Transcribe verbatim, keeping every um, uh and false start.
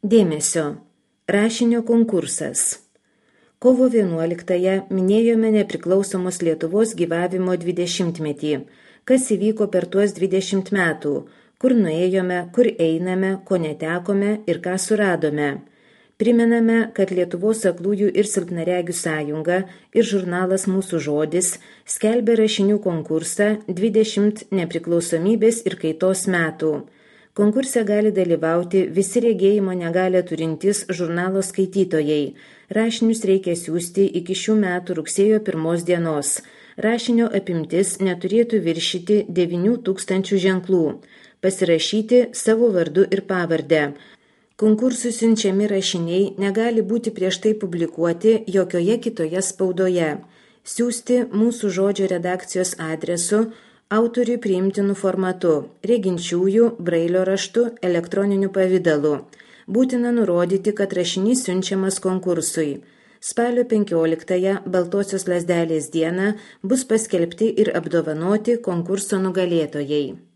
Dėmesio. Rašinio konkursas. Kovo vienuoliktąją minėjome nepriklausomos Lietuvos gyvavimo dvidešimtmetį. Kas įvyko per tuos dvidešimt metų, kur nuėjome, kur einame, ko netekome ir ką suradome. Primename, kad Lietuvos aklųjų ir silpnaregių sąjunga ir žurnalas Mūsų žodis skelbia rašinių konkursą dvidešimt nepriklausomybės ir kaitos metų. Konkurse gali dalyvauti visi regėjimo negalią turintys žurnalo skaitytojai. Rašinius reikia siųsti iki šių metų rugsėjo pirmos dienos. Rašinio apimtis neturėtų viršyti devynių tūkstančių ženklų. Pasirašyti savo vardu ir pavardę. Konkursui siunčiami rašiniai negali būti prieš tai publikuoti jokioje kitoje spaudoje. Siųsti Mūsų žodžio redakcijos adresu autoriui priimtinu formatu, reginčiųjų, brailio raštu, elektroniniu pavidalu. Būtina nurodyti, kad rašinys siunčiamas konkursui. Spalio penkioliktąją Baltosios lazdelės dieną bus paskelbti ir apdovanoti konkurso nugalėtojai.